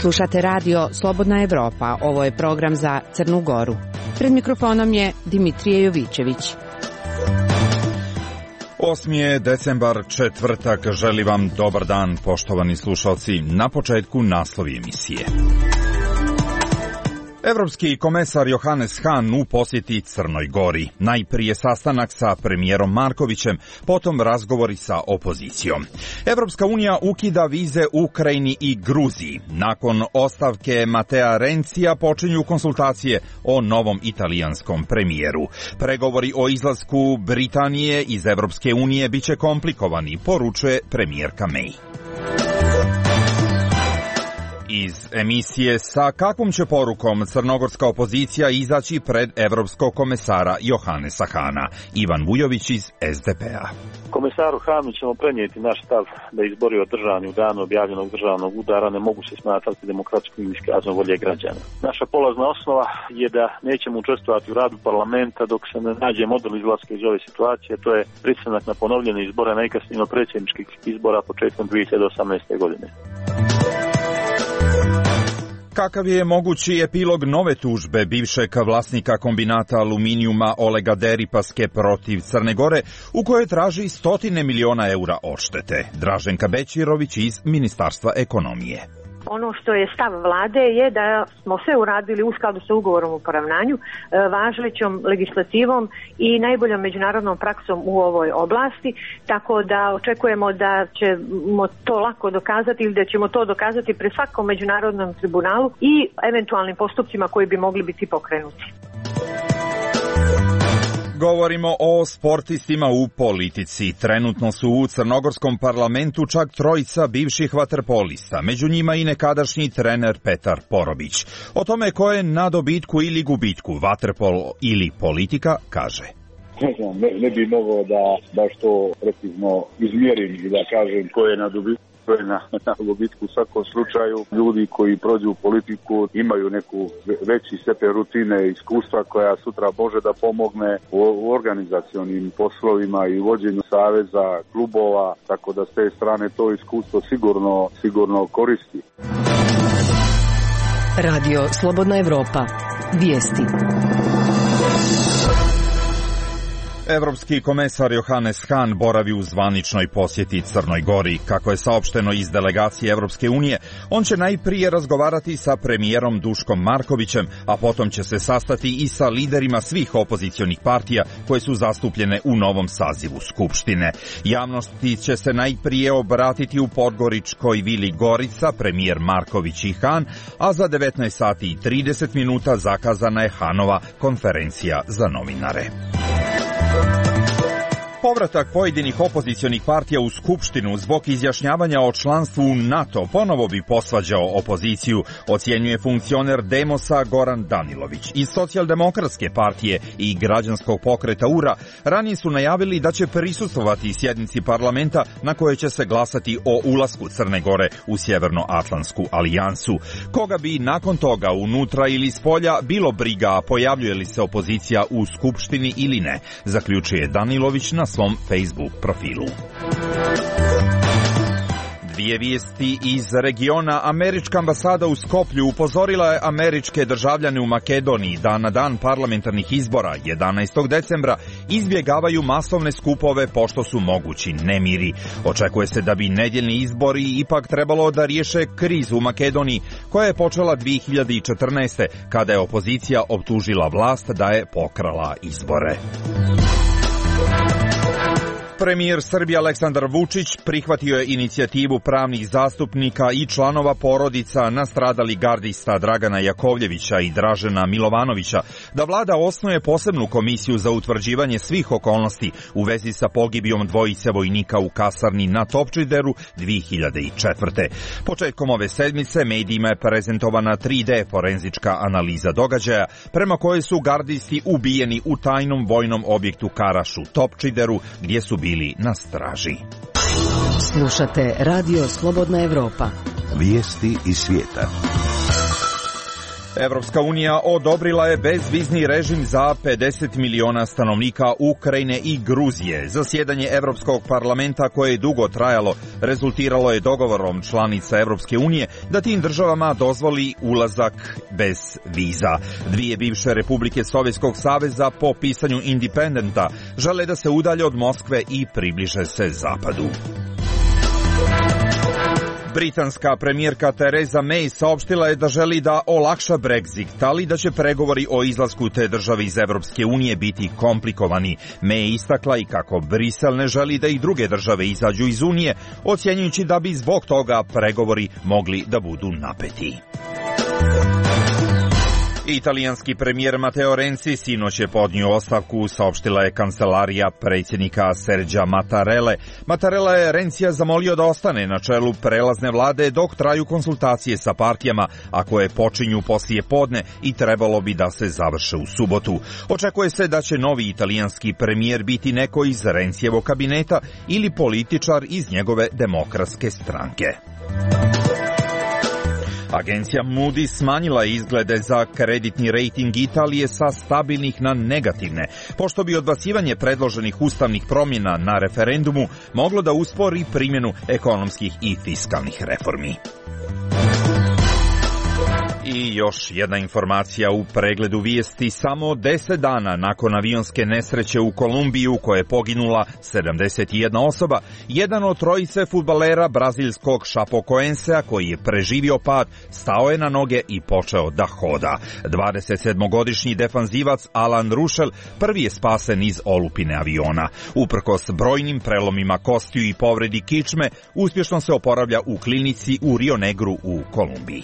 Slušate radio Slobodna Evropa. Ovo je program za Crnu Goru. Pred mikrofonom je Dimitrije Jovićević. 8. je decembar, četvrtak. Želim vam dobar dan, poštovani slušalci. Na početku naslovi emisije. Evropski komesar Johannes Hahn u posjeti Crnoj Gori. Najprije sastanak sa premijerom Markovićem, potom razgovori sa opozicijom. Evropska unija ukida vize Ukrajini i Gruziji. Nakon ostavke Matea Rencija počinju konsultacije o novom italijanskom premijeru. Pregovori o izlasku Britanije iz Evropske unije biće komplikovani, poručuje premijerka May. Iz emisije sa kakvom će porukom crnogorska opozicija izaći pred evropskog komesara Johannesa Hahna. Ivan Vujović iz SDP-a. Komesaru Hahnu ćemo prenijeti naš stav da izbori održani u danu objavljenog državnog udara ne mogu se smatrati demokratskim iskazom volje građana. Naša polazna osnova je da nećemo učestvovati u radu parlamenta dok se ne nađe model izlaska iz ove situacije, to je pristanak na ponovljene izbore najkasnije predsjedničkih izbora početkom 2018. godine. Kakav je mogući epilog nove tužbe bivšeg vlasnika kombinata aluminijuma Olega Deripaske protiv Crne Gore, u kojoj traži 100 miliona eura odštete? Draženka Bećirović iz Ministarstva ekonomije. Ono što je stav vlade je da smo sve uradili u skladu sa ugovorom o poravnanju, važećom legislativom i najboljom međunarodnom praksom u ovoj oblasti, tako da očekujemo da ćemo to lako dokazati ili da ćemo to dokazati pred svakom međunarodnom tribunalu i eventualnim postupcima koji bi mogli biti pokrenuti. Govorimo o sportistima u politici. Trenutno su u crnogorskom parlamentu čak trojica bivših vaterpolista, među njima i nekadašnji trener Petar Porobić. O tome ko je na dobitku ili gubitku, vaterpol ili politika, kaže. Ne bi mogao da baš to precizno izmjerim i da kažem ko je na dobitku. To je na gubitku. U svakom slučaju ljudi koji prođu u politiku imaju neku veći stepen rutine i iskustva koja sutra može da pomogne u organizacionim poslovima i vođenju saveza, klubova, tako da s te strane to iskustvo sigurno koristi. Radio Slobodna Evropa. Vijesti. Evropski komesar Johannes Hahn boravi u zvaničnoj posjeti Crnoj Gori. Kako je saopšteno iz delegacije Evropske unije, on će najprije razgovarati sa premijerom Duškom Markovićem, a potom će se sastati i sa liderima svih opozicionih partija koje su zastupljene u novom sazivu Skupštine. Javnosti će se najprije obratiti u Podgoričkoj vili Gorica, premijer Marković i Hahn, a za 19 sati i 30 minuta zakazana je Hahnova konferencija za novinare. Povratak pojedinih opozicionih partija u Skupštinu zbog izjašnjavanja o članstvu u NATO ponovo bi posvađao opoziciju, ocjenjuje funkcioner Demosa Goran Danilović. Iz Socijaldemokratske partije i Građanskog pokreta URA ranije su najavili da će prisustvovati sjednici parlamenta na kojoj će se glasati o ulasku Crne Gore u Sjevernoatlantsku alijansu. Koga bi nakon toga unutra ili spolja bilo briga, pojavljuje li se opozicija u Skupštini ili ne, zaključuje Danilović na svom Facebook profilu. Dvije vijesti iz regiona. Američka ambasada u Skoplju upozorila je američke državljane u Makedoniji da na dan parlamentarnih izbora 11. decembra izbjegavaju masovne skupove pošto su mogući nemiri. Očekuje se da bi nedjeljni izbori ipak trebalo da riješe krizu u Makedoniji koja je počela 2014. kada je opozicija optužila vlast da je pokrala izbore. Premijer Srbije Aleksandar Vučić prihvatio je inicijativu pravnih zastupnika i članova porodica nastradalih gardista Dragana Jakovljevića i Dražena Milovanovića da vlada osnuje posebnu komisiju za utvrđivanje svih okolnosti u vezi sa pogibijom dvojice vojnika u kasarni na Topčideru 2004. Početkom ove sedmice medijima je prezentovana 3D forenzička analiza događaja prema kojoj su gardisti ubijeni u tajnom vojnom objektu Karaš u Topčideru gdje su bili na straži. Slušate Radio Slobodna Evropa. Vijesti iz svijeta. Evropska unija odobrila je bezvizni režim za 50 miliona stanovnika Ukrajine i Gruzije. Zasjedanje Evropskog parlamenta koje je dugo trajalo rezultiralo je dogovorom članica Evropske unije da tim državama dozvoli ulazak bez viza. Dvije bivše republike Sovjetskog saveza po pisanju Independenta žele da se udalje od Moskve i približe se zapadu. Britanska premijerka Theresa May saopštila je da želi da olakša Brexit, ali da će pregovori o izlasku te države iz Evropske unije biti komplikovani. May je istakla i kako Brisel ne želi da i druge države izađu iz Unije, ocjenjujući da bi zbog toga pregovori mogli da budu napeti. Italijanski premijer Matteo Renzi sinoć je podnio ostavku, saopštila je kancelarija predsjednika Sergija Mattarelle. Mattarella je Renzija zamolio da ostane na čelu prelazne vlade dok traju konsultacije sa partijama, a koje počinju poslije podne i trebalo bi da se završe u subotu. Očekuje se da će novi italijanski premijer biti neko iz Renzijevog kabineta ili političar iz njegove demokratske stranke. Agencija Moody smanjila izglede za kreditni rejting Italije sa stabilnih na negativne, pošto bi odbacivanje predloženih ustavnih promjena na referendumu moglo da uspori primjenu ekonomskih i fiskalnih reformi. I još jedna informacija u pregledu vijesti. Samo 10 dana nakon avionske nesreće u Kolumbiji u kojoj je poginula 71 osoba, jedan od trojice fudbalera brazilskog Chapecoensea koji je preživio pad stao je na noge i počeo da hoda. 27-godišnji defanzivac Alan Ruschel prvi je spasen iz olupine aviona. Uprkos brojnim prelomima kostiju i povredi kičme, uspješno se oporavlja u klinici u Rio Negru u Kolumbiji.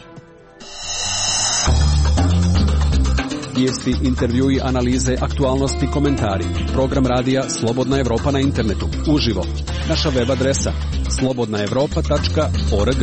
Vijesti, intervjui, analize, aktualnosti, komentari. Program radija Slobodna Evropa na internetu. Uživo. Naša web adresa slobodnaevropa.org.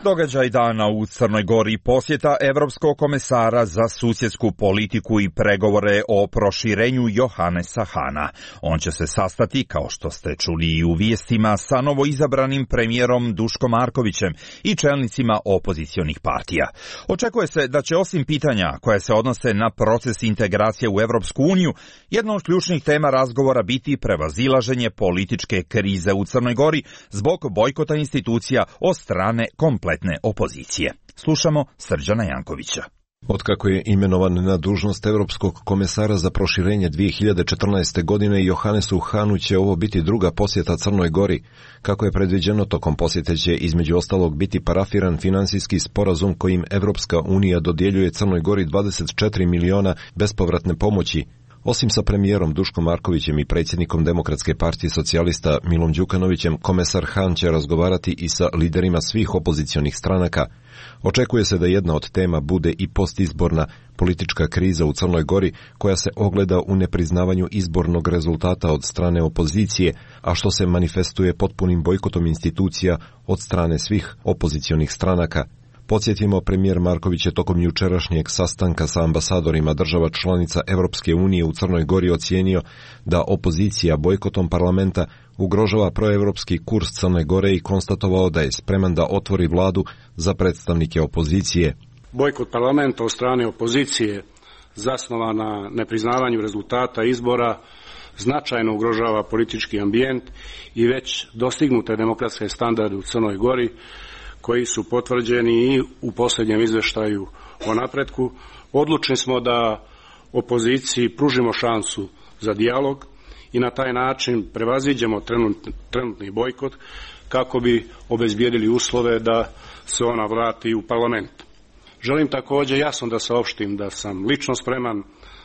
Događaj dana u Crnoj Gori, posjeta Evropskog komesara za susjedsku politiku i pregovore o proširenju Johannesa Hahna. On će se sastati, kao što ste čuli i u vijestima, sa novoizabranim premijerom Duškom Markovićem i čelnicima opozicionih partija. Očekuje se da će osim pitanja koje se odnose na proces integracije u Evropsku uniju, jedna od ključnih tema razgovora biti prevazilaženje političke krize u Crnoj Gori zbog bojkota institucija od strane kompletne opozicije. Slušamo Srđana Jankovića. Otkako je imenovan na dužnost Evropskog komesara za proširenje 2014. godine, Johannesu Hahnu će ovo biti druga posjeta Crnoj Gori. Kako je predviđeno, tokom posjete će između ostalog biti parafiran finansijski sporazum kojim Evropska unija dodjeljuje Crnoj Gori 24 miliona bespovratne pomoći. Osim sa premijerom Duškom Markovićem i predsjednikom Demokratske partije socijalista Milom Đukanovićem, komesar Hahn će razgovarati i sa liderima svih opozicionih stranaka. Očekuje se da jedna od tema bude i postizborna politička kriza u Crnoj Gori, koja se ogleda u nepriznavanju izbornog rezultata od strane opozicije, a što se manifestuje potpunim bojkotom institucija od strane svih opozicionih stranaka. Podsjetimo, premijer Marković je tokom jučerašnjeg sastanka sa ambasadorima država članica Evropske unije u Crnoj Gori ocijenio da opozicija bojkotom parlamenta ugrožava proevropski kurs Crne Gore i konstatovao da je spreman da otvori vladu za predstavnike opozicije. Bojkot parlamenta od strane opozicije zasnovan na nepriznavanju rezultata izbora značajno ugrožava politički ambijent i već dostignute demokratske standarde u Crnoj Gori, koji su potvrđeni i u posljednjem izveštaju o napretku. Odlučni smo da opoziciji pružimo šansu za dijalog i na taj način prevaziđemo trenutni bojkot kako bi obezbijedili uslove da se ona vrati u parlament. Želim također jasno da saopštim da sam lično spreman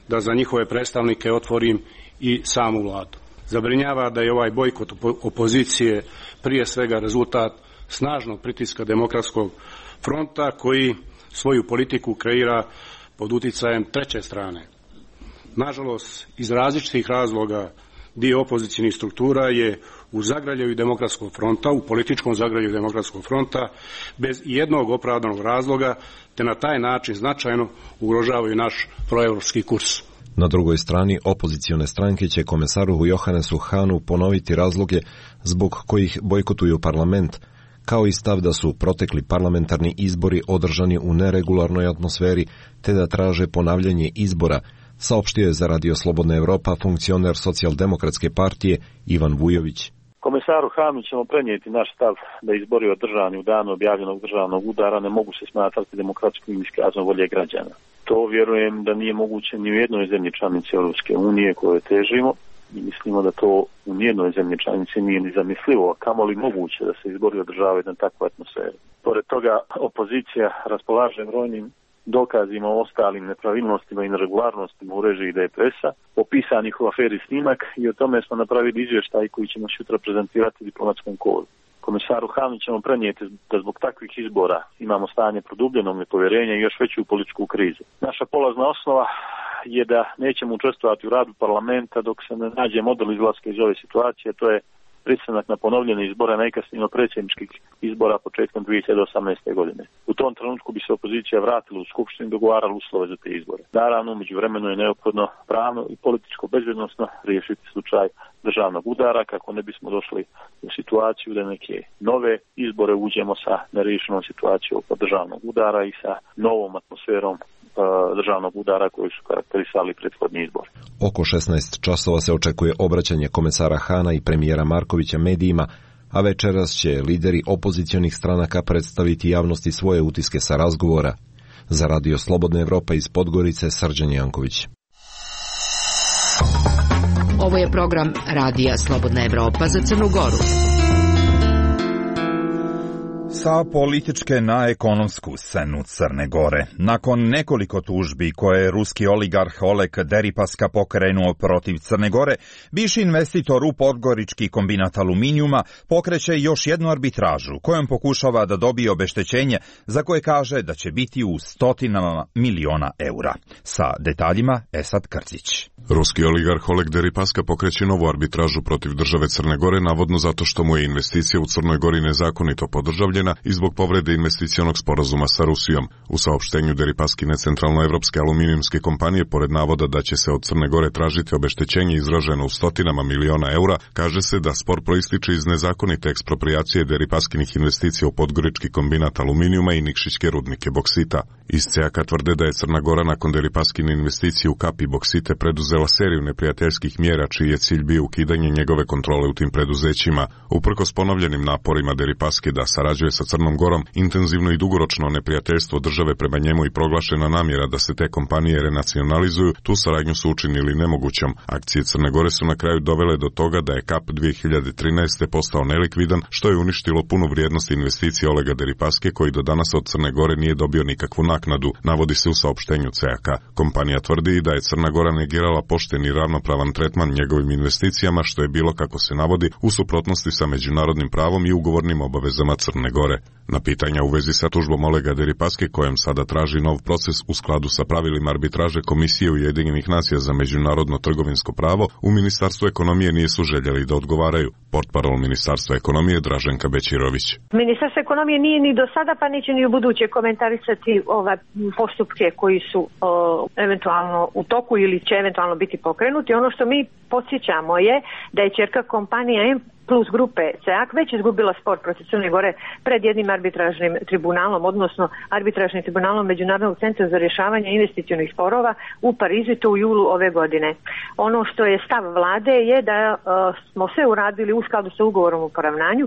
da za njihove predstavnike otvorim i samu vladu. Zabrinjava da je ovaj bojkot opozicije prije svega rezultat snažnog pritiska Demokratskog fronta koji svoju politiku kreira pod uticajem treće strane. Nažalost, iz različitih razloga dio opozicijnih struktura je u zagrljaju Demokratskog fronta, u političkom zagrljaju Demokratskog fronta, bez jednog opravdanog razloga, te na taj način značajno ugrožavaju naš proevropski kurs. Na drugoj strani, opozicione stranke će komesaru Johannesu Hahnu ponoviti razloge zbog kojih bojkotuju parlament, kao i stav da su protekli parlamentarni izbori održani u neregularnoj atmosferi, te da traže ponavljanje izbora, saopštio je za Radio Slobodna Evropa funkcioner Socijaldemokratske partije Ivan Vujović. Komesaru Hanu ćemo prenijeti naš stav da izbori održani u danu objavljenog državnog udara ne mogu se smatrati demokratskim iskazom volje građana. To vjerujem da nije moguće ni u jednoj zemlji članici Europske unije koje težimo i mislimo da to u nijednoj zemlji članici nije ni zamislivo, a kamoli moguće da se izbori održavaju na takvu atmosferu. Pored toga, opozicija raspolaže brojnim dokazima o ostalim nepravilnostima i neregularnostima u režiji DPS-a, opisanih u aferi Snimak, i o tome smo napravili izvještaj koji ćemo sutra prezentirati diplomatskom kodu. Komisaru Hanu ćemo prenijeti da zbog takvih izbora imamo stanje produbljenog nepovjerenja i još veću političku krizu. Naša polazna osnova je da nećemo učestvovati u radu parlamenta dok se ne nađe model izlaska iz ove situacije, to je pristanak na ponovljene izbore, najkasnije predsjedničkih izbora početkom 2018. godine. U tom trenutku bi se opozicija vratila u skupštinu i dogovarala uslove za te izbore. Naravno, međuvremeno je neophodno pravno i političko bezbednosno riješiti slučaj državnog udara kako ne bismo došli u situaciju da neke nove izbore uđemo sa neriješenom situacijom oko državnog udara i sa novom atmosferom državnog udara koji su karakterisali prethodni izbor. Oko 16 časova se očekuje obraćanje komesara Hana i premijera Markovića medijima, a večeras će lideri opozicionih stranaka predstaviti javnosti svoje utiske sa razgovora. Za Radio Slobodna Evropa iz Podgorice, Srđan Janković. Ovo je program Radija Slobodna Evropa za Crnu Goru. Sa političke na ekonomsku scenu Crne Gore. Nakon nekoliko tužbi koje je ruski oligarh Oleg Deripaska pokrenuo protiv Crne Gore, bivši investitor u podgorički kombinat aluminijuma pokreće još jednu arbitražu kojom pokušava da dobije obeštećenje za koje kaže da će biti u stotinama miliona eura. Sa detaljima Esad Krcić. Ruski oligarh Oleg Deripaska pokreće novu arbitražu protiv države Crne Gore, navodno zato što mu je investicija u Crnoj Gori nezakonito podržavljena i zbog povrede investicionog sporazuma sa Rusijom. U saopštenju Deripaskine centralnoevropske aluminijumske kompanije, pored navoda da će se od Crne Gore tražiti obeštećenje izraženo u stotinama miliona eura, kaže se da spor proističe iz nezakonite eksproprijacije Deripaskinih investicija u podgorički kombinat aluminijuma i Nikšićke rudnike boksita. Iz CEAK-a tvrde da je Crna Gora nakon Deripaskine investicije u Kap i boksite preduzela seriju neprijateljskih mjera čiji je cilj bio ukidanje njegove kontrole u tim preduzećima. Uprkos ponovljenim naporima Deripaske da sarađuje sa Crnom Gorom, intenzivno i dugoročno neprijateljstvo države prema njemu i proglašena namjera da se te kompanije renacionalizuju, tu saradnju su učinili nemogućom. Akcije Crne Gore su na kraju dovele do toga da je Kap 2013. postao nelikvidan, što je uništilo punu vrijednost investicije Olega Deripaske, koji do danas od Crne Gore nije dobio nikakvu naknadu, navodi se u saopštenju CEAK-a. Kompanija tvrdi da je Crna Gora negirala pošten i ravnopravan tretman njegovim investicijama, što je bilo, kako se navodi, u suprotnosti sa međunarodnim pravom i ugovornim obavezama Crne Gore. Na pitanja u vezi sa tužbom Olega Deripaske, kojem sada traži nov proces u skladu sa pravilima arbitraže Komisije Ujedinjenih nacija za međunarodno trgovinsko pravo, u Ministarstvu ekonomije nisu željeli da odgovaraju. Portparol Ministarstva ekonomije Draženka Bećirović. Ministarstvo ekonomije nije ni do sada, pa neće ni u buduće komentarisati ove postupke koji su eventualno u toku ili će eventualno biti pokrenuti. Ono što mi podsjećamo je da je ćerka kompanija Plus grupe CEAK već izgubila spor protiv Crne Gore pred jednim arbitražnim tribunalom, odnosno arbitražnim tribunalom Međunarodnog centra za rješavanje investicionih sporova u Parizu, to u julu ove godine. Ono što je stav vlade je da smo sve uradili u skladu sa ugovorom o poravnanju,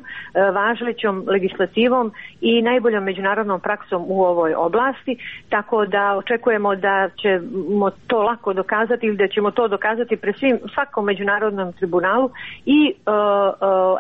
važećom legislativom i najboljom međunarodnom praksom u ovoj oblasti, tako da očekujemo da ćemo to lako dokazati ili da ćemo to dokazati pred svakom međunarodnom tribunalu i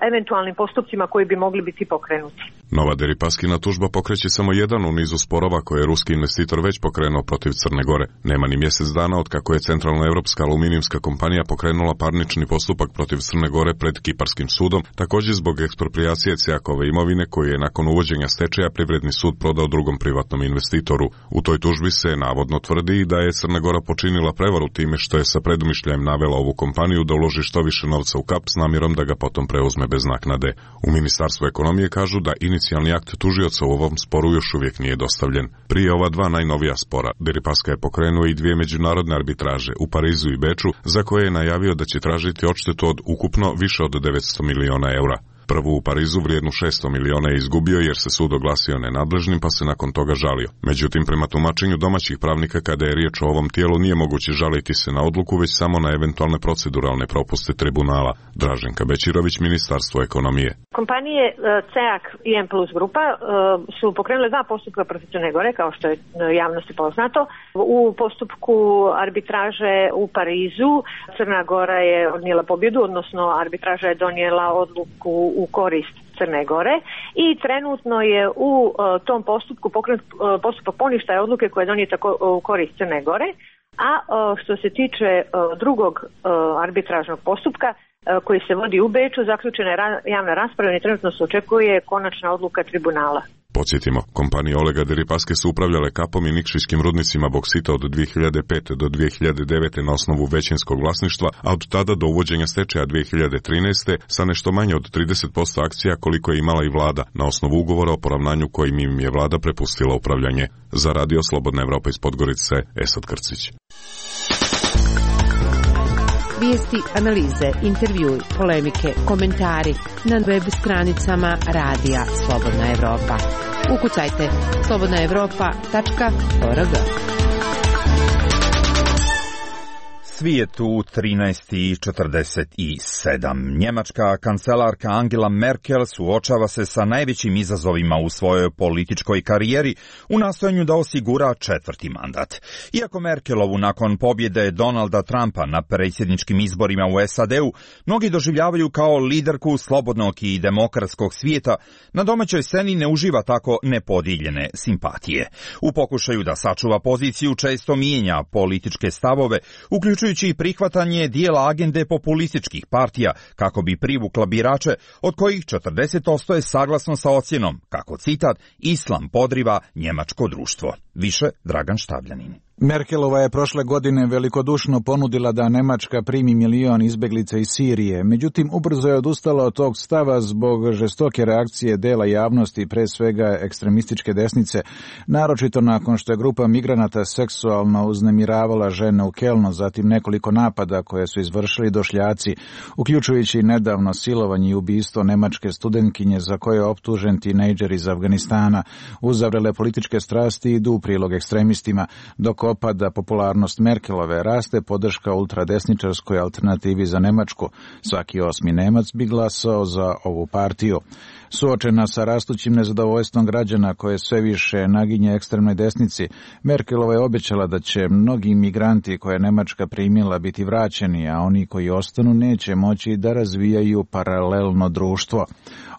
eventualnim postupcima koji bi mogli biti pokrenuti. Nova Deripaskina tužba pokreće samo jedan u nizu sporova koje je ruski investitor već pokrenuo protiv Crne Gore. Nema ni mjesec dana od kako je centralnoevropska aluminijumska kompanija pokrenula parnični postupak protiv Crne Gore pred Kiparskim sudom, također zbog eksproprijacije CEAK-ove imovine koju je nakon uvođenja stečaja Privredni sud prodao drugom privatnom investitoru. U toj tužbi se navodno tvrdi da je Crna Gora počinila prevaru time što je sa predumišljajem navela ovu kompaniju da uloži što više novca u Kap s namjerom da ga potom preuzme bez naknade. U Ministarstvu ekonomije kažu da inicijalni akt tužioca u ovom sporu još uvijek nije dostavljen. Prije ova dva najnovija spora, Deripaska je pokrenuo i dvije međunarodne arbitraže u Parizu i Beču, za koje je najavio da će tražiti odštetu od ukupno više od 900 miliona eura. Prvu u Parizu vrijednu 600 miliona je izgubio jer se sud oglasio nenadležnim pa se nakon toga žalio. Međutim, prema tumačenju domaćih pravnika kada je riječ o ovom tijelu nije moguće žaliti se na odluku već samo na eventualne proceduralne propuste tribunala. Draženka Bećirović, Ministarstvo ekonomije. Kompanije CEAC i M Plus grupa su pokrenule 2 postupka protiv Crne Gore, kao što je javnosti poznato. U postupku arbitraže u Parizu Crna Gora je odnijela pobjedu, odnosno arbitraža je donijela odluku u korist Crne Gore i trenutno je u tom postupku pokrenut postupak poništaja odluke koja je donijeta u korist Crne Gore, a što se tiče drugog arbitražnog postupka koji se vodi u Beču, zaključena je javna rasprava i trenutno se očekuje konačna odluka tribunala. Podsjetimo, kompanije Olega Deripaske su upravljale Kapom i Nikšijskim rudnicima boksita od 2005. do 2009. na osnovu većinskog vlasništva, a od tada do uvođenja stečaja 2013. sa nešto manje od 30% akcija koliko je imala i vlada, na osnovu ugovora o poravnanju kojim im je vlada prepustila upravljanje. Za Radio Slobodna Evropa iz Podgorice, Esad Krcić. Vijesti, analize, intervjui, polemike, komentari na web stranicama Radija Slobodna Evropa. Ukucajte slobodnaevropa.org. Svijet u 13:47. Njemačka kancelarka Angela Merkel suočava se sa najvećim izazovima u svojoj političkoj karijeri u nastojanju da osigura 4. mandat. Iako Merkelovu nakon pobjede Donalda Trumpa na predsjedničkim izborima u SAD-u mnogi doživljavaju kao liderku slobodnog i demokratskog svijeta, na domaćoj sceni ne uživa tako nepodijeljene simpatije. U pokušaju da sačuva poziciju često mijenja političke stavove, uključujući i prihvatanje dijela agende populističkih partija kako bi privukla birače, od kojih 40% je saglasno sa ocjenom, kako citat, islam podriva njemačko društvo. Više Dragan Štabljanin. Merkelova je prošle godine velikodušno ponudila da Nemačka primi 1 milion izbjeglica iz Sirije, međutim ubrzo je odustala od tog stava zbog žestoke reakcije dela javnosti, pre svega ekstremističke desnice, naročito nakon što je grupa migranata seksualno uznemiravala žene u Kelnu, zatim nekoliko napada koje su izvršili došljaci, uključujući nedavno silovanje i ubistvo nemačke studentkinje za koje je optužen tinejdžer iz Afganistana. Uzavrele političke strasti idu u prilog ekstremistima, dok opada popularnost Merkelove, raste podrška ultradesničarskoj alternativi za Nemačku. Svaki 8. Nemac bi glasao za ovu partiju. Suočena sa rastućim nezadovoljstvom građana koje sve više naginje ekstremnoj desnici, Merkelova je obećala da će mnogi migranti koje Nemačka primila biti vraćeni, a oni koji ostanu neće moći da razvijaju paralelno društvo.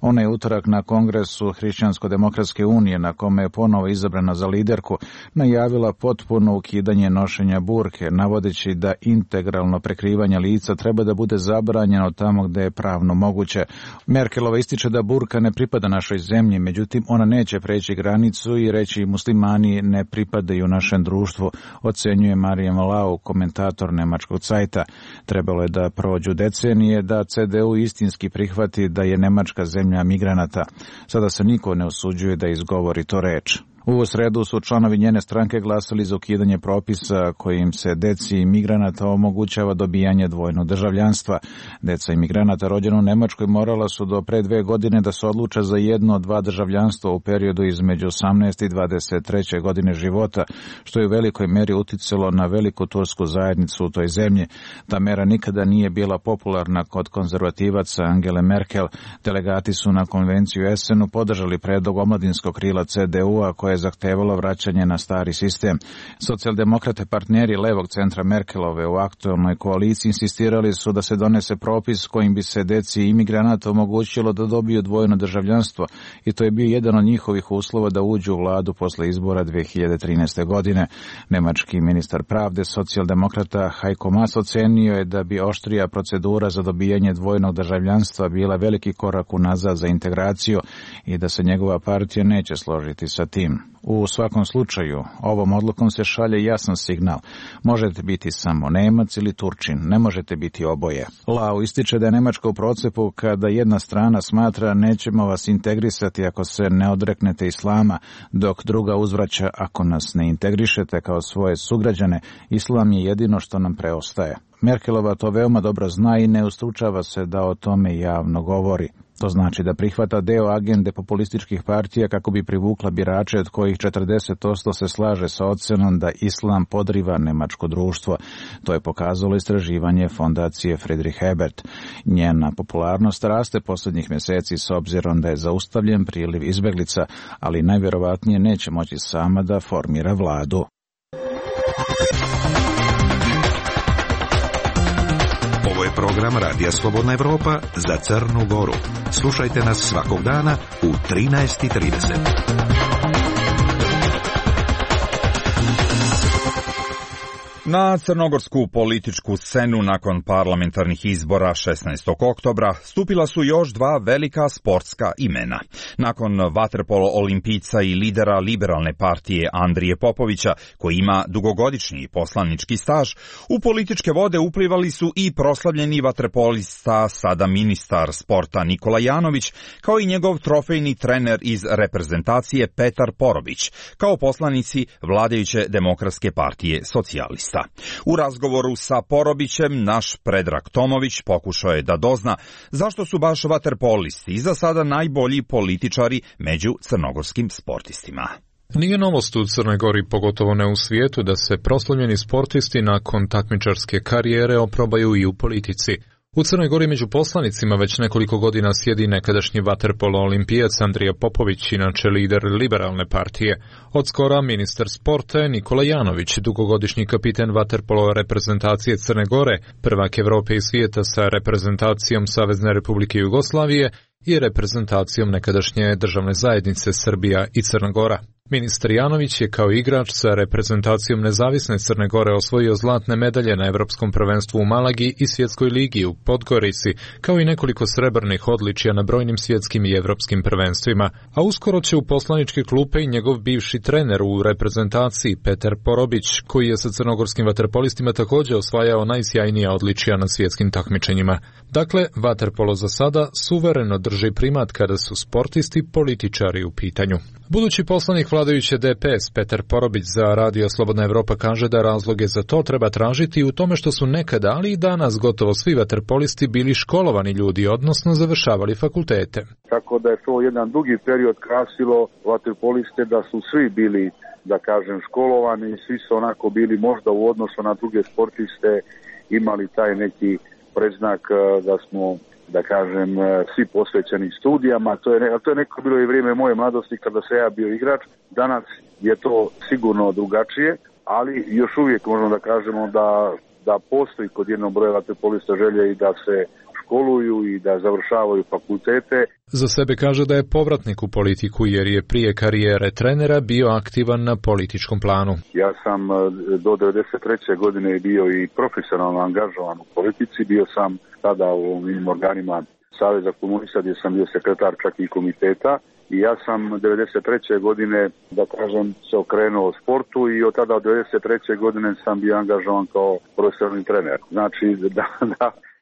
Ona je utorak na kongresu Hrišćansko-demokratske unije, na kome je ponovo izabrana za liderku, najavila potpuno ukidanje nošenja burke, navodeći da integralno prekrivanje lica treba da bude zabranjeno tamo gde je pravno moguće. Merkelova ističe da burka ne pripada našoj zemlji, međutim ona neće preći granicu i reći muslimani ne pripadaju našem društvu, ocenjuje Marijan Lau, komentator nemačkog Zeita. Trebalo je da prođu decenije da CDU istinski prihvati da je Nemačka zemlja migranata. Sada se niko ne usuđuje da izgovori to reč. U sredu su članovi njene stranke glasali za ukidanje propisa kojim se deci migranata omogućava dobijanje dvojnog državljanstva. Deca imigranata rođena u Nemačkoj morala su do pre 2 godine da se odluče za jedno od 2 državljanstva u periodu između 18. i 23. godine života, što je u velikoj meri uticalo na veliku tursku zajednicu u toj zemlji. Ta mera nikada nije bila popularna kod konzervativaca Angele Merkel. Delegati su na konvenciju u Essenu podržali predlog omladinskog krila CDU-a koje je zahtevalo vraćanje na stari sistem. Socijaldemokrate, partneri levog centra Merkelove u aktualnoj koaliciji, insistirali su da se donese propis kojim bi se deci imigranata omogućilo da dobiju dvojno državljanstvo i to je bio jedan od njihovih uslova da uđu u vladu posle izbora 2013. godine. Nemački ministar pravde, socijaldemokrata Heiko Maas, ocenio je da bi oštrija procedura za dobijanje dvojnog državljanstva bila veliki korak unazad za integraciju i da se njegova partija neće složiti sa tim. U svakom slučaju, ovom odlukom se šalje jasan signal. Možete biti samo Nemac ili Turčin, ne možete biti oboje. Lau ističe da je Nemačka u procepu kada jedna strana smatra nećemo vas integrisati ako se ne odreknete islama, dok druga uzvraća ako nas ne integrišete kao svoje sugrađane, islam je jedino što nam preostaje. Merkelova to veoma dobro zna i ne ustručava se da o tome javno govori. To znači da prihvata deo agende populističkih partija kako bi privukla birače od kojih 40% se slaže sa ocenom da islam podriva nemačko društvo. To je pokazalo istraživanje fondacije Friedrich Ebert. Njena popularnost raste posljednjih mjeseci s obzirom da je zaustavljen priliv izbeglica, ali najvjerovatnije neće moći sama da formira vladu. Ovo je program Radija Slobodna Evropa za Crnu Goru. Slušajte nas svakog dana u 13:30. Na crnogorsku političku scenu nakon parlamentarnih izbora 16. oktobra stupila su još dva velika sportska imena. Nakon vaterpolo olimpijca i lidera liberalne partije Andrije Popovića, koji ima dugogodišnji poslanički staž, u političke vode uplivali su i proslavljeni vaterpolista, sada ministar sporta Nikola Janović, kao i njegov trofejni trener iz reprezentacije Petar Porobić, kao poslanici vladajuće Demokratske partije socijalista. U razgovoru sa Porobićem naš Predrag Tomović pokušao je da dozna zašto su baš vaterpolisti za sada najbolji političari među crnogorskim sportistima. Nije novost u Crnoj Gori, pogotovo ne u svijetu, da se proslavljeni sportisti nakon takmičarske karijere oprobaju i u politici. U Crnoj Gori među poslanicima već nekoliko godina sjedi nekadašnji vaterpolo olimpijac Andrija Popović, inače lider liberalne partije. Odskora ministar sporta Nikola Janović, dugogodišnji kapiten vaterpolo reprezentacije Crne Gore, prvak Evrope i svijeta sa reprezentacijom Savezne Republike Jugoslavije i reprezentacijom nekadašnje državne zajednice Srbija i Crna Gora. Ministar Janović je kao igrač sa reprezentacijom nezavisne Crne Gore osvojio zlatne medalje na Evropskom prvenstvu u Malagi i Svjetskoj ligi u Podgorici, kao i nekoliko srebrnih odličja na brojnim svjetskim i evropskim prvenstvima, a uskoro će u poslaničke klupe i njegov bivši trener u reprezentaciji Petar Porobić, koji je sa crnogorskim vaterpolistima također osvajao najsjajnija odličja na svjetskim takmičenjima. Dakle, vaterpolo za sada suvereno drži primat kada su sportisti političari u pitanju. Budući poslanik vladajuće DPS Petar Porobić za Radio Slobodna Evropa kaže da razloge za to treba tražiti u tome što su nekada, ali i danas gotovo svi vaterpolisti bili školovani ljudi, odnosno završavali fakultete. Tako da je to jedan dugi period krasilo vaterpoliste, da su svi bili, da kažem, školovani, svi su onako bili možda u odnosu na druge sportiste imali taj neki predznak da smo, da kažem, svi posvećeni studijama. To je neko bilo i vrijeme moje mladosti kada sam ja bio igrač. Danas je to sigurno drugačije, ali još uvijek možemo da kažemo da postoji kod jednog broja vaterpolista želje i da se školuju i da završavaju fakultete. Za sebe kaže da je povratnik u politiku jer je prije karijere trenera bio aktivan na političkom planu. Ja sam do 1993. godine bio i profesionalno angažovan u politici. Bio sam tada u ovim organima Saveza komunista gdje sam bio sekretar čak i komiteta. I ja sam 1993. godine, da kažem, se okrenuo sportu i od tada od 1993. godine sam bio angažovan kao profesionalni trener. Znači da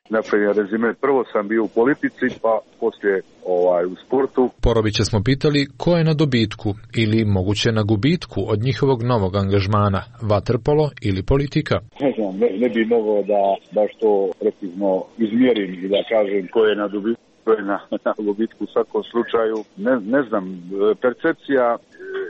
naprimjer, rezime, prvo sam bio u politici, pa poslije u sportu. Porobića smo pitali ko je na dobitku ili moguće na gubitku od njihovog novog angažmana, vaterpolo ili politika. Ne znam, ne bi mogao da baš to precizno izmjerim i da kažem ko je na dobitku, ko je na gubitku u svakom slučaju. Ne znam, percepcija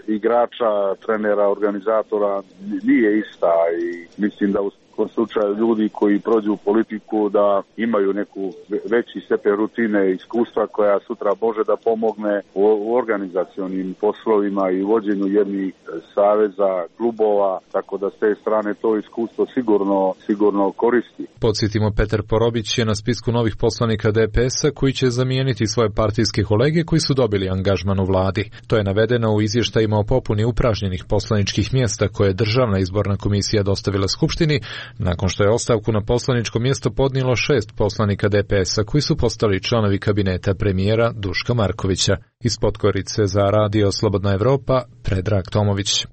igrača, trenera, organizatora nije ista i mislim da u slučaju ljudi koji prođu u politiku da imaju neku veći stepen rutine i iskustva koja sutra može da pomogne u organizacionim poslovima i vođenju jednih saveza, klubova, tako da s te strane to iskustvo sigurno koristi. Podsjetimo, Petar Porobić je na spisku novih poslanika DPS-a koji će zamijeniti svoje partijske kolege koji su dobili angažman u vladi. To je navedeno u izvještajima o popuni upražnjenih poslaničkih mjesta koje je Državna izborna komisija dostavila Skupštini, nakon što je ostavku na poslaničko mjesto podnijelo 6 poslanika DPS-a koji su postali članovi kabineta premijera Duška Markovića. Iz Podgorice za Radio Slobodna Evropa, Predrag Tomović.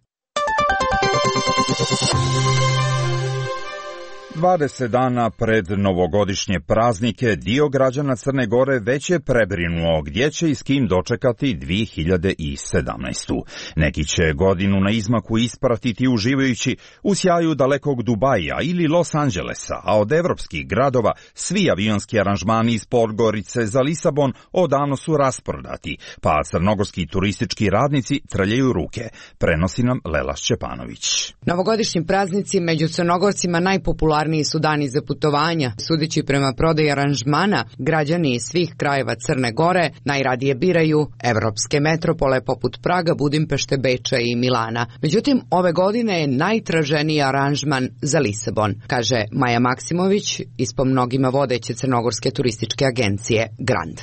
20 dana pred novogodišnje praznike dio građana Crne Gore već je prebrinuo gdje će i s kim dočekati 2017. Neki će godinu na izmaku ispratiti uživajući u sjaju dalekog Dubaija ili Los Angelesa, a od evropskih gradova svi avionski aranžmani iz Podgorice za Lisabon odavno su rasprodati, pa crnogorski turistički radnici trljaju ruke, prenosi nam Lela Šćepanović. Novogodišnji praznici među Crnogorcima najpopularniji su dani za putovanja. Sudeći prema prodaji aranžmana, građani iz svih krajeva Crne Gore najradije biraju evropske metropole poput Praga, Budimpešte, Beča i Milana. Međutim, ove godine je najtraženiji aranžman za Lisabon, kaže Maja Maksimović iz po mnogima vodeće crnogorske turističke agencije Grand.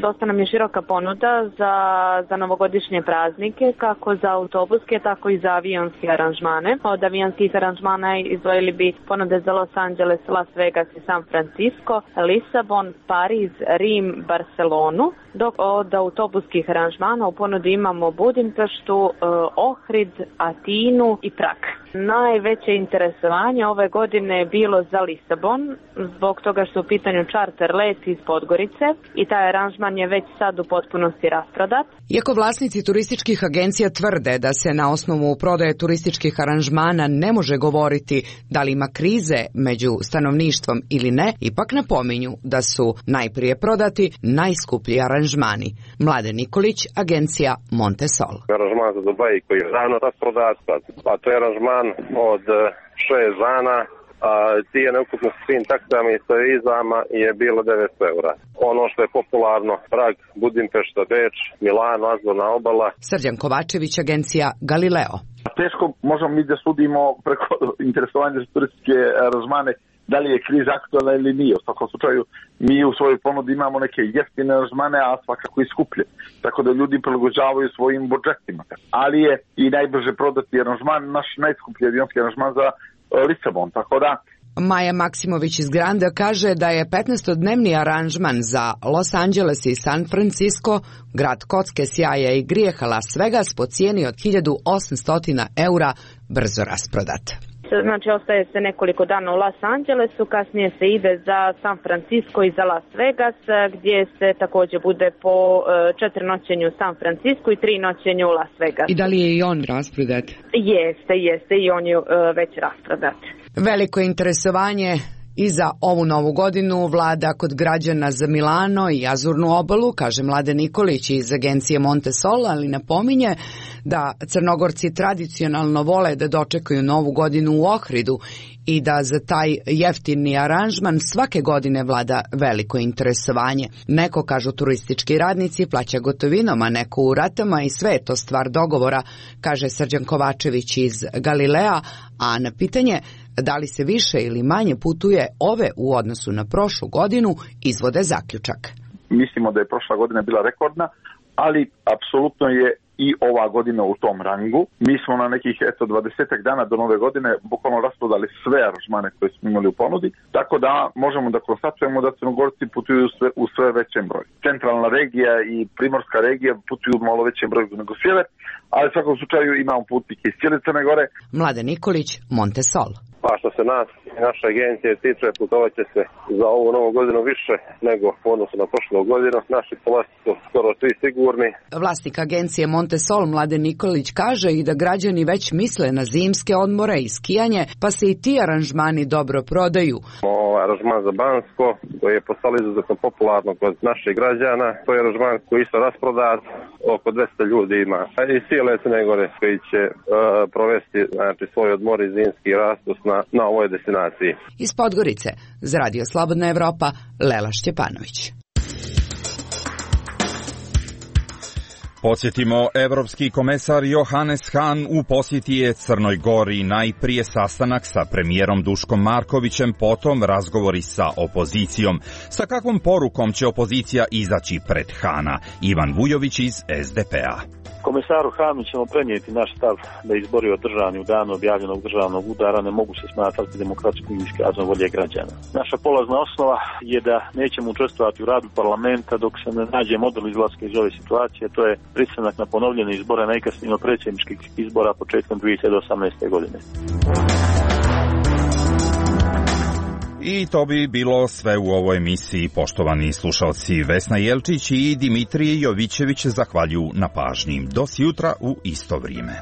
Dosta nam je široka ponuda za novogodišnje praznike, kako za autobuske, tako i za avionske aranžmane. Od avionskih aranžmana izdvojili bi ponude za Los Angeles, Las Vegas i San Francisco, Lisabon, Pariz, Rim, Barcelonu, dok od autobuskih aranžmana u ponudi imamo Budimpeštu, Ohrid, Atinu i Prag. Najveće interesovanje ove godine je bilo za Lisabon, zbog toga što u pitanju čarter let iz Podgorice i taj aranžman je već sad u potpunosti rasprodat. Iako vlasnici turističkih agencija tvrde da se na osnovu prodaje turističkih aranžmana ne može govoriti da li ima krize među stanovništvom ili ne, ipak napominju da su najprije prodati najskuplji aranžmani. Mladen Nikolić, agencija Montesol. Aranžman za Dubaj koji je ravno rasprodat, a to je aranžman od 6 dana, a cijene ukupno s svim taksama i sa vizama je bilo 900 eura. Ono što je popularno, Prag, Budimpešta, Beč, Milano, Azurna obala. Srđan Kovačević, agencija Galileo. Teško možemo mi da sudimo preko interesovanja za turističke aranžmane da li je kriza aktualna ili nije. U svakom slučaju mi u svojoj ponudi imamo neke jeftine aranžmane, a svakako i skuplje. Tako da ljudi prilagođavaju svojim budžetima. Ali je i najbrže prodati aranžman, naš najskuplji avionski aranžman za Lisabon. Tako da Maja Maksimović iz Granda kaže da je 15-dnevni aranžman za Los Angeles i San Francisco, grad kocke, sjaja i grijeha Las Vegas, po cijeni od 1800 eura brzo rasprodat. Znači, ostaje se nekoliko dana u Los Angelesu, kasnije se ide za San Francisco i za Las Vegas, gdje se također bude po 4 noćenja u San Francisco i 3 noćenja u Las Vegas. I da li je i on rasprodat? Jeste i on je već rasprodat. Veliko interesovanje i za ovu novu godinu vlada kod građana za Milano i Azurnu obalu, kaže Mladen Nikolić iz agencije Montesol, ali napominje da Crnogorci tradicionalno vole da dočekaju novu godinu u Ohridu i da za taj jeftini aranžman svake godine vlada veliko interesovanje. Neko, kažu turistički radnici, plaća gotovinom, a neko u ratama i sve je to stvar dogovora, kaže Srđan Kovačević iz Galilea, a na pitanje da li se više ili manje putuje ove u odnosu na prošlu godinu izvode zaključak. Mislimo da je prošla godina bila rekordna, ali apsolutno je i ova godina u tom rangu. Mi smo na nekih 20 dana do nove godine bukvalno rasprodali sve aranžmane koje smo imali u ponudi, tako da možemo da konstatujemo da Crnogorci putuju u sve većem broju. Centralna regija i primorska regija putuju u malo većem broju nego sjever, ali u svakom slučaju imamo putnike iz cijele Crne Gore. Mladen Nikolić, Montesol. Pa što se nas i naše agencije tiče, putovat će se za ovu novu godinu više nego u odnosu na prošlu godinu. Naši polasi su skoro svi sigurni. Vlasnik agencije Montesol Mladen Nikolić kaže i da građani već misle na zimske odmore i skijanje, pa se i ti aranžmani dobro prodaju. Aranžman za Bansko, koji je postalo izuzetno popularno kod naših građana, to je aranžman koji isto rasprodat, oko 200 ljudi ima. I cijele Crne Gore koji će provesti svoj odmor i zimski rastus na ovoj destinaciji. Iz Podgorice, za Radio Slobodna Evropa, Lela Šćepanović. Podsjetimo, evropski komesar Johannes Hahn u posjeti je Crnoj Gori, najprije sastanak sa premijerom Duškom Markovićem, potom razgovori sa opozicijom. Sa kakvom porukom će opozicija izaći pred Hahna? Ivan Vujović iz SDP-a. Komesaru Hahnu ćemo prenijeti naš stav da izbori održani u danu objavljenog državnog udara ne mogu se smatrati demokratskim iskazom volje građana. Naša polazna osnova je da nećemo učestvovati u radu parlamenta dok se ne nađe model izlaska iz ove situacije, to je pristanak na ponovljene izbore najkasnije od predsjedničkih izbora početkom 2018. godine. I to bi bilo sve u ovoj emisiji. Poštovani slušalci, Vesna Jelčić i Dimitrije Jovićević zahvaljuju na pažnji. Do sjutra u isto vrijeme.